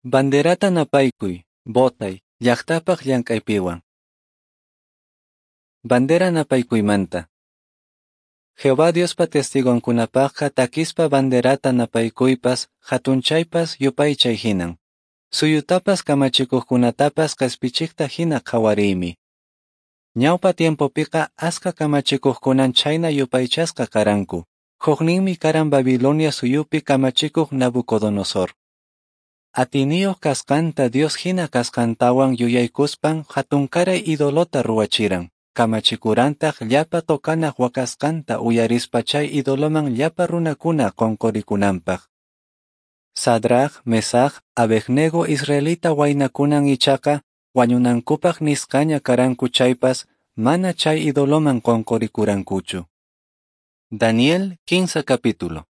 Banderata napaykuy, botay, llaqtapaq llank'aypiwan. Bandera napaykuymanta. Jehová Diospa testigonkunapaqqa takispa banderata napaykuypas, hatunchaypas yupaychay hinan. Suyutapas kamachikuqkunatapas qespichiqta hina qhawariymi. Ñawpa tiempopiqa aska kamachikuqkunan chhayna yupaychasqa karanku. Hukninmi karan Babilonia suyupi kamachikuq Nabucodonosor. Atiniyuq kasqanta Dios hina kasqantawan yuyaykuspan hatunkaray idolota ruwachiran. Kamachikurantaq llapa tokanaq waqasqanta uyarispa chay idoloman llapa runakuna qonqorikunanpaq. Sadraj, Mesaj, Abednego israelita waynakunan ichaqa wañunankupaq nisqaña karanku chaypas mana chay idoloman qonqorikurankuchu. Daniel 15 capítulo.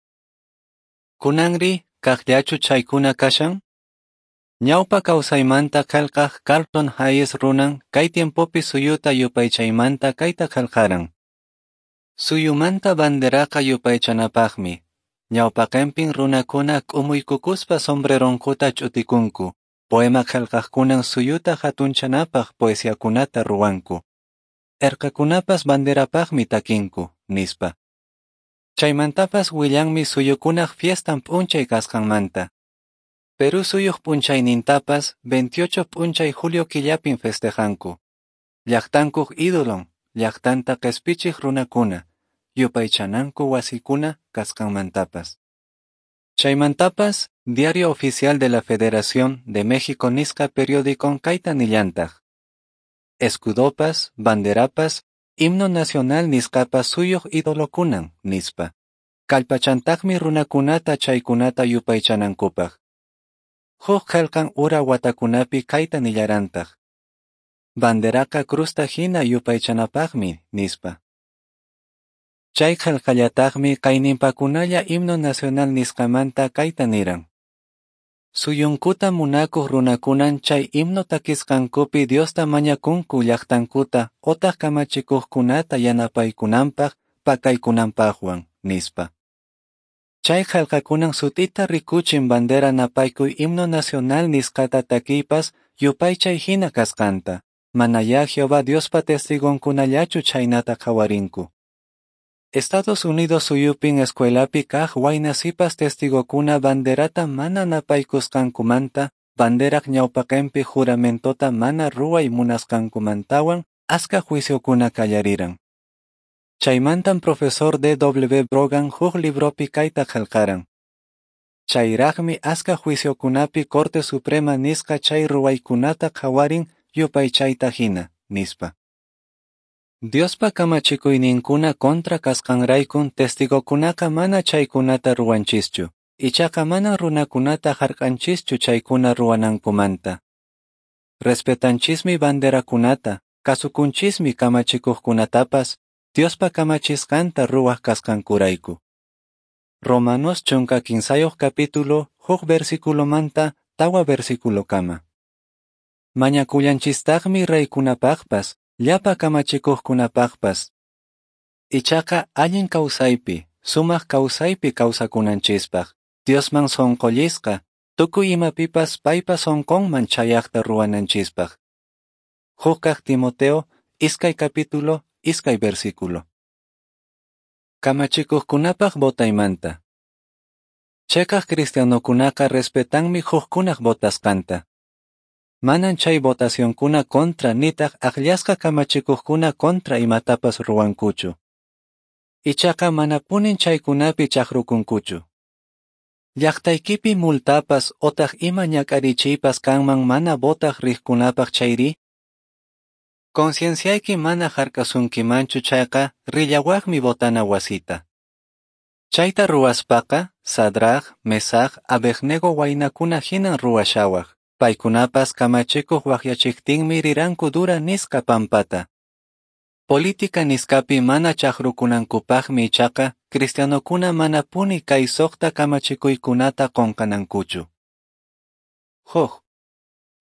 Kunanri kaqllachu chaykuna kashan? Ñawpa kawsaymanta qillqaq Carlton Hayes runan kay tiempopi suyuta yupaychaymanta kayta qillqaran. Suyumanta banderaqa yupaychanapaqmi. Ñawpaqinpin runakuna k'umuykukuspa sombreronkuta ch'utikunku. Poema qillqaqkunan suyuta hatunchanapaq poesiakunata ruwanku. Erqakunapas banderapaqmi takinku, nispa. Chaymantapas willanmi suyukunaq fiestan p'unchay kasqanmanta. Perú suyuq p'unchaynintapas 28 p'unchay julio killapin festejanku. Llaqtankuq ídolon, llaqtanta qespichiq runakuna, yupaychananku wasikuna kasqanmantapas. Chaymantapas, Diario Oficial de la Federación de México nisqa periódicon kayta nillantaq. Escudopas, banderapas, himno nacional nisqapas suyuq idolokunan, nispa. Kallpachantaqmi runakunata chaykunata yupaychanankupaq. Huk qillqan ura watakunapi kayta nillarantaq. Banderaqa cruzta hina yupaychanapaqmi, nispa. Chay qillqallataqmi kayninpakunalla himno nacional nisqamanta kayta niran. Suyunkuta munakuq runakunan chay himno takisqankupi Diosta mañakunku llaqtankuta otaq kamachikuqkunata yanapaykunanpaq pakaykunanpaqwan, nispa. Chay qillqakunan sut'ita rikuchin bandera napaykuy himno nacional nisqata takiypas yupaychay hina kasqanta. Manayá Jehová Diospa testigonkunallachu chhaynata qhawarinku. Estados Unidos suyupin escuelapi kaq wayna sipas testigokuna banderata mana napaykusqankumanta, banderaq ñawpaqinpi juramentota mana ruway munasqankumantawan aska juiciokuna qallariran. Chaymantan profesor D. W. Brogan huk libropi kayta qillqaran. Chayraqmi aska juiciokunapi Corte Suprema nisqa chay ruwaykunata qhawarin yupaychayta hina, nispa. Diospa kamachikuyninkuna contra kasqanraykun testigokunaqa mana chaykunata ruwanchischu, ichaqa manan runakunata hark'anchischu chaykuna ruwanankumanta. Respetanchismi banderakunata, kasukunchismi kamachikuqkunatapas, Diospa kamachisqanta ruwaq kasqankurayku. Romanos 13 capítulo, huk versículomanta, tawa versículokama. Mañakullanchistaqmi reykunapaqpas, llapa kamachikuqkunapaqpas. Ichaqa allin kawsaypi, sumaq kawsaypi kawsakunanchispaq, Diosman sonqollisqa, tukuy imapipas paypa sonqonman chayaqta ruwananchispaq. Huk Timoteo, 2 capítulo, 2 versículo. Kamachikuqkunapaq botaymanta. Cheqaq cristianokunaqa respetanmi hukkunaq botasqanta. Manan chay votacionkuna contra nitaq aqllasqa kamachikuqkuna contra imatapas ruwankuchu. Ichaqa manapunin chaykunapi chaqrukunkuchu. Llaqtaykipi multapas otaq ima ñak'arichiypas kanman mana botaq riqkunapaq chayri? Concienciayki mana hark'asunkimanchu chayqa rillawaqmi botana wasita. Chayta ruwaspaqa Sadraj, Mesaj, Abednego waynakuna hinan ruwashawaq. Paykunapas kamachikuq waqyachiqtinmi riranku dura nisqa pampata. Política nisqapi mana chaqrukunankupaqmi ichaqa cristianokuna manapuni kay suqta kamachikuykunata qunqanankuchu. Huk.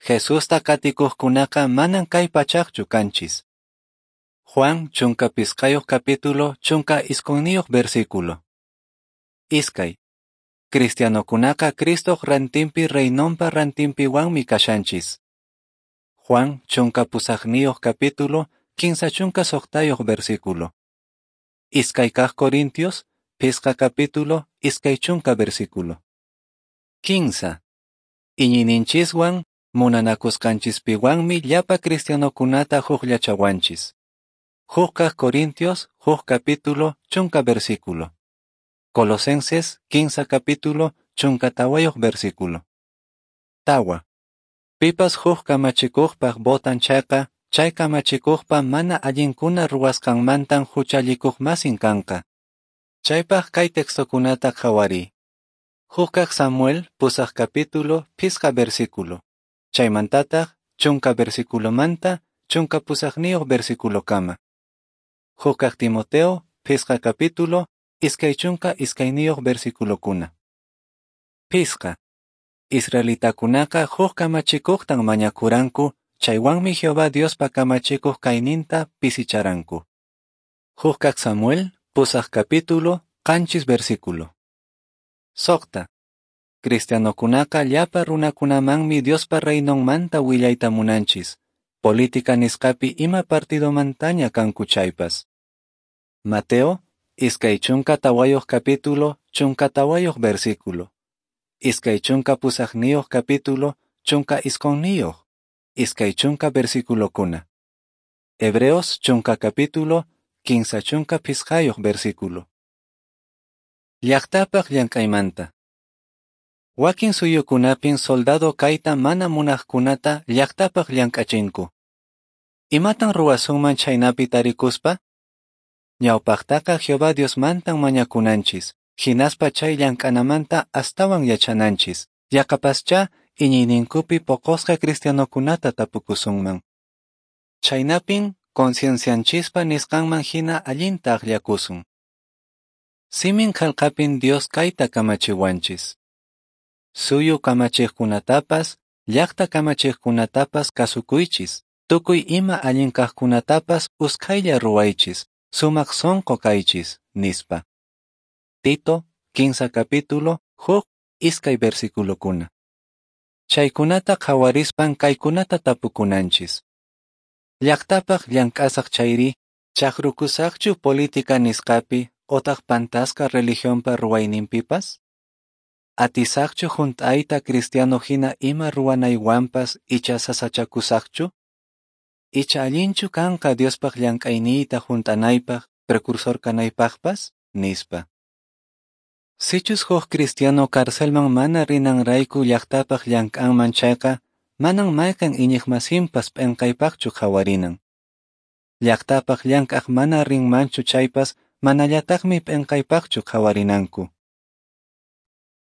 Jesusta qatikuqkunaqa manan kay pachaqchu kanchis. Juan 15 capítulo 19 versículo. Iskay. Cristianokunaqa Cristoq rantinpi Reinonpa rantinpiwanmi kashanchis. Juan 18 capítulo, 36 versículo. 2 kaq Corintios, 5 capítulo, 20 versículo. 15. Iñiyninchiswan, munanakusqanchispiwanmi llapa cristianokunata hukllachawanchis. 1 kaq Corintios, 1 capítulo, 10 versículo. Colosenses, 15 capítulo, 14 versículo. 4. Pipas huk kamachikuqpaq votan chayqa, chay kamachikuqpa mana allinkuna ruwasqanmantan huchallikuqmasin kanqa. Chaypaq kay textokunata qhawariy. 1 kaq Samuel, 8 capítulo, 5 versículo. Chaymantataq, 10 versiculomanta, 18 versiculokama. 1 kaq Timoteo, 5 capítulo, 22 versiculokuna. 5. Israelitakunaqa huk kamachikuqtan mañakuranku, chaywanmi Jehová Diospa kamachikuq kayninta pisicharanku. 1 kaq Samuel, 8 capítulo, 7 versículo. 6. Cristianokunaqa llapa runakunamanmi Diospa reinonmanta willayta munanchis, política nisqapi ima partidomantaña kanku chaypas. Mateo, 24 capítulo, 14 versículo. 28 capítulo, 19, 20 versículokuna. Hebreos 10 capítulo, 35 versículo. Llaqtapaq llank'aymanta. Wakin suyukunapin soldado kayta mana munaqkunata llaqtapaq llank'achinku. Imatan ruwasunman chhaynapi tarikuspa? Ñawpaqtaqa Jehová Diosmantan mañakunanchis, hinaspa chay llank'anamanta astawan yachananchis, yaqapaschá iñiyninkupi poqosqa cristianokunata tapukusunman. Chhaynapin conciencianchispa nisqanman hina allinta akllakusun. Simin qelqapin Dios kayta kamachiwanchis. Suyu kamachiqkunatapas, llaqta kamachiqkunatapas kasukuychis, tukuy ima allin kaqkunatapas usqhaylla ruwaychis, sumaq sonqo kaychis, nispa. Tito, 15 capítulo, 1, 2 versiculokuna. Chaykunata qhawarispan kaykunata tapukunanchis. Llaqtapaq llank'asaq chayri, chaqrukusaqchu política nisqapi otaq pantasqa religionpa ruwayninpipas? Atisaqchu hunt'ayta cristiano hina ima ruwanaywanpas icha sasachakusaqchu? Icha allinchu kanqa Diospaq llank'ayniyta hunt'anaypaq, precursor kanaypaqpas? Nispa. Sichus huk cristiano carcelman mana rinanrayku llaqtapaq llank'anman chayqa, manan mayqan iñiqmasinpas p'enqaypaqchu qhawarinan. Llaqtapaq llank'aq mana rinmanchu chaypas manallataqmi p'enqaypaqchu qhawarinanku.